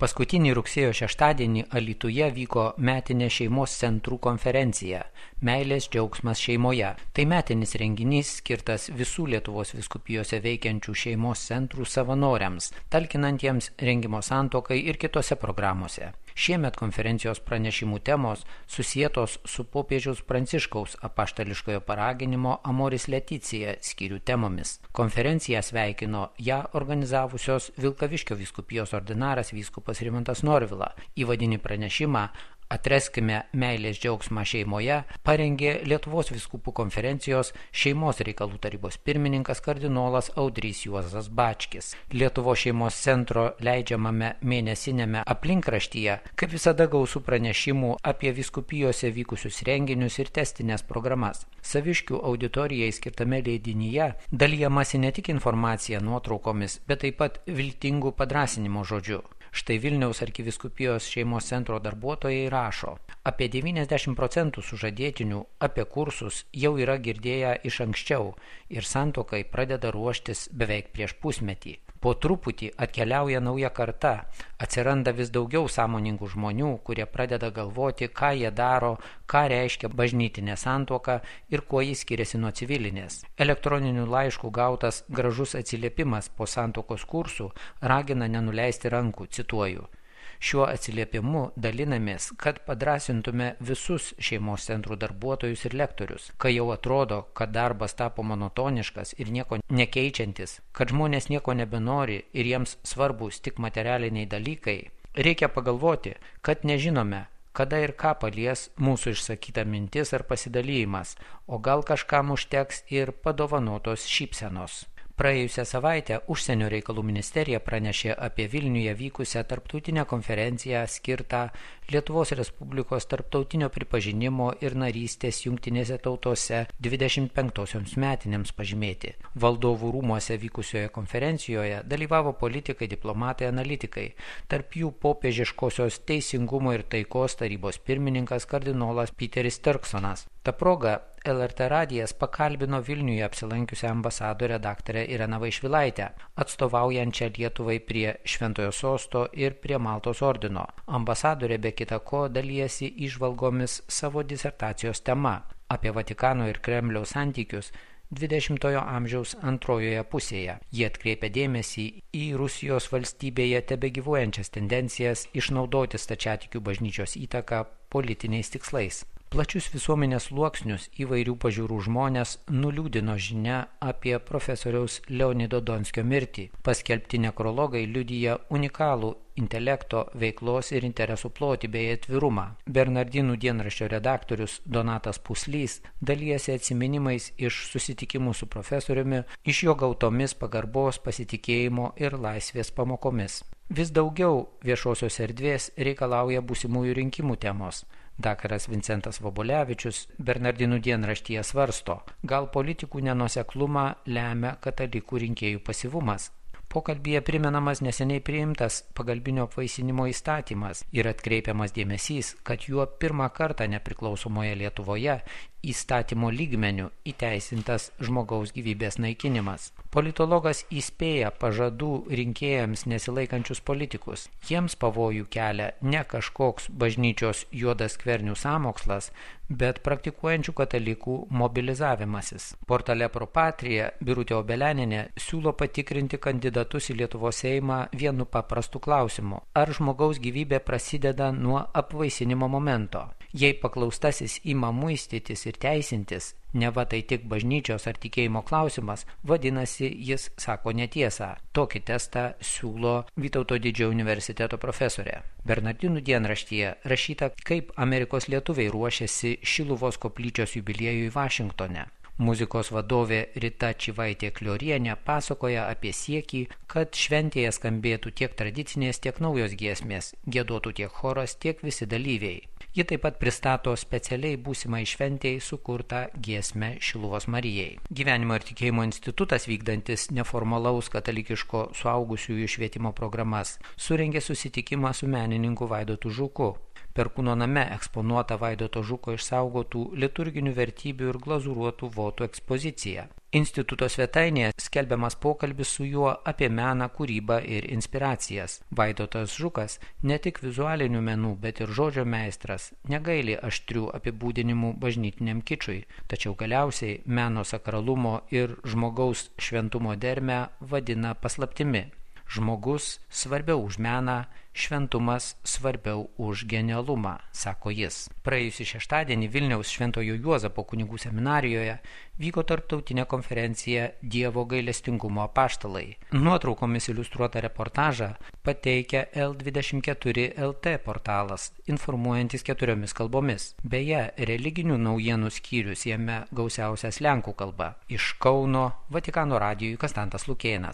Paskutinį rugsėjo šeštadienį Alytuje vyko metinė šeimos centrų konferencija Meilės džiaugsmas šeimoje. Tai metinis renginys skirtas visų Lietuvos vyskupijose veikiančių šeimos centrų savanoriams, talkinantiems rengimo santuokai ir kitose programuose. Šiemet konferencijos pranešimų temos susietos su popiežiaus Pranciškaus apaštališkojo paraginimo Amoris Laetitia skyrių temomis. Konferenciją sveikino ją organizavusios Vilkaviškio vyskupijos ordinaras vyskupas Rimantas Norvila. Įvadinį pranešimą Atreskime meilės džiaugsmą šeimoje parengė Lietuvos vyskupų konferencijos šeimos reikalų tarybos pirmininkas kardinolas Audrys Juozas Bačkis. Lietuvos šeimos centro leidžiamame mėnesinėme aplinkraštyje, kaip visada, gausu pranešimų apie vyskupijose vykusius renginius ir testinės programas. Saviškių auditorijai skirtame leidinyje dalijamasi ne tik informacija nuotraukomis, bet taip pat viltingų padrąsinimo žodžiu. Štai Vilniaus arkivyskupijos šeimos centro darbuotojai rašo, apie 90% sužadėtinių apie kursus jau yra girdėję iš anksčiau ir santuokai pradeda ruoštis beveik prieš pusmetį. Po truputį atkeliauja nauja karta, atsiranda vis daugiau sąmoningų žmonių, kurie pradeda galvoti, ką jie daro, ką reiškia bažnytinė santuoka ir kuo jis skiriasi nuo civilinės. Elektroninių laiškų gautas gražus atsiliepimas po santuokos kursų ragina nenuleisti rankų, cituoju. Šiuo atsiliepimu dalinamės, kad padrąsintume visus šeimos centrų darbuotojus ir lektorius, kai jau atrodo, kad darbas tapo monotoniškas ir nieko nekeičiantis, kad žmonės nieko nebenori ir jiems svarbus tik materialiniai dalykai. Reikia pagalvoti, kad nežinome, kada ir ką palies mūsų išsakyta mintis ar pasidalymas, o gal kažkam užteks ir padovanotos šypsenos. Praėjusią savaitę Užsienio reikalų ministerija pranešė apie Vilniuje vykusią tarptautinę konferenciją skirtą Lietuvos Respublikos tarptautinio pripažinimo ir narystės Jungtinėse tautose 25-osioms metinėms pažymėti. Valdovų rūmuose vykusioje konferencijoje dalyvavo politikai, diplomatai, analitikai, tarp jų popiežiškosios teisingumo ir taikos tarybos pirmininkas kardinolas Peteris Turksonas. Ta proga LRT radijas pakalbino Vilniuje apsilankiusią ambasadorę daktarę Ireną Vaišvilaitę, atstovaujančią Lietuvai prie Šventojo Sosto ir prie Maltos ordino. Ambasadorė be kita ko dalijasi įžvalgomis savo disertacijos tema apie Vatikano ir Kremliaus santykius 20-ojo amžiaus antrojoje pusėje. Jie atkreipia dėmesį į Rusijos valstybėje tebegyvuojančias tendencijas išnaudoti stačiatikių bažnyčios įtaką politiniais tikslais. Plačius visuomenės sluoksnius įvairių pažiūrų žmonės nuliūdino žinia apie profesoriaus Leonido Donskio mirtį. Paskelbti nekrologai liudija unikalų intelekto, veiklos ir interesų plotį bei atvirumą. Bernardinų dienraščio redaktorius Donatas Puslys dalijasi atsiminimais iš susitikimų su profesoriumi, iš jo gautomis pagarbos, pasitikėjimo ir laisvės pamokomis. Vis daugiau viešosios erdvės reikalauja būsimųjų rinkimų temos. Daktaras Vincentas Vobolevičius Bernardinų dienraštyje svarsto, gal politikų nenuoseklumą lemia katalikų rinkėjų pasyvumas. Pokalbyje primenamas neseniai priimtas pagalbinio apvaisinimo įstatymas ir atkreipiamas dėmesys, kad juo pirmą kartą nepriklausomoje Lietuvoje įstatymo lygmeniu įteisintas žmogaus gyvybės naikinimas. Politologas įspėja pažadų rinkėjams nesilaikančius politikus. Jiems pavojų kelia ne kažkoks bažnyčios juodas skvernių sąmokslas, bet praktikuojančių katalikų mobilizavimasis. Portale Pro Patria Birutė Obeleninė siūlo patikrinti kandidatus į Lietuvos Seimą vienu paprastu klausimu. Ar žmogaus gyvybė prasideda nuo apvaisinimo momento? Jei paklaustasis ima muistytis ir teisintis, neva tai tik bažnyčios ar tikėjimo klausimas, vadinasi, jis sako netiesą. Tokį testą siūlo Vytauto Didžiojo universiteto profesorė. Bernardinų dienraštyje rašyta, kaip Amerikos lietuviai ruošiasi Šiluvos koplyčios jubiliejui Vašingtone. Muzikos vadovė Rita Čivaitė Kliorienė pasakoja apie siekį, kad šventėje skambėtų tiek tradicinės, tiek naujos giesmės, giedotų tiek choras, tiek visi dalyviai. Ji taip pat pristato specialiai būsimai šventėjai sukurtą giesmę Šiluvos Marijai. Gyvenimo ir tikėjimo institutas, vykdantis neformalaus katalikiško suaugusiųjų švietimo programas, surengė susitikimą su menininku Vaidotu Žuku. Perkūno name eksponuota Vaidoto Žuko išsaugotų liturginių vertybių ir glazūruotų votų ekspozicija. Instituto svetainėje skelbiamas pokalbis su juo apie meną, kūrybą ir inspiracijas. Vaidotas Žukas ne tik vizualinių menų, bet ir žodžio meistras, negaili aštrių apibūdinimų bažnytiniam kičui, tačiau galiausiai meno sakralumo ir žmogaus šventumo dermę vadina paslaptimi. Žmogus svarbiau už meną, šventumas svarbiau už genialumą, sako jis. Praėjusį šeštadienį Vilniaus Šventojo Juozapo kunigų seminarijoje vyko tarptautinė konferencija Dievo gailestingumo apaštalai. Nuotraukomis iliustruotą reportažą pateikia L24 LT portalas, informuojantis 4 kalbomis. Beje, religinių naujienų skyrius jame gausiausias lenkų kalba. Iš Kauno Vatikano radijui Konstantas Lukėnas.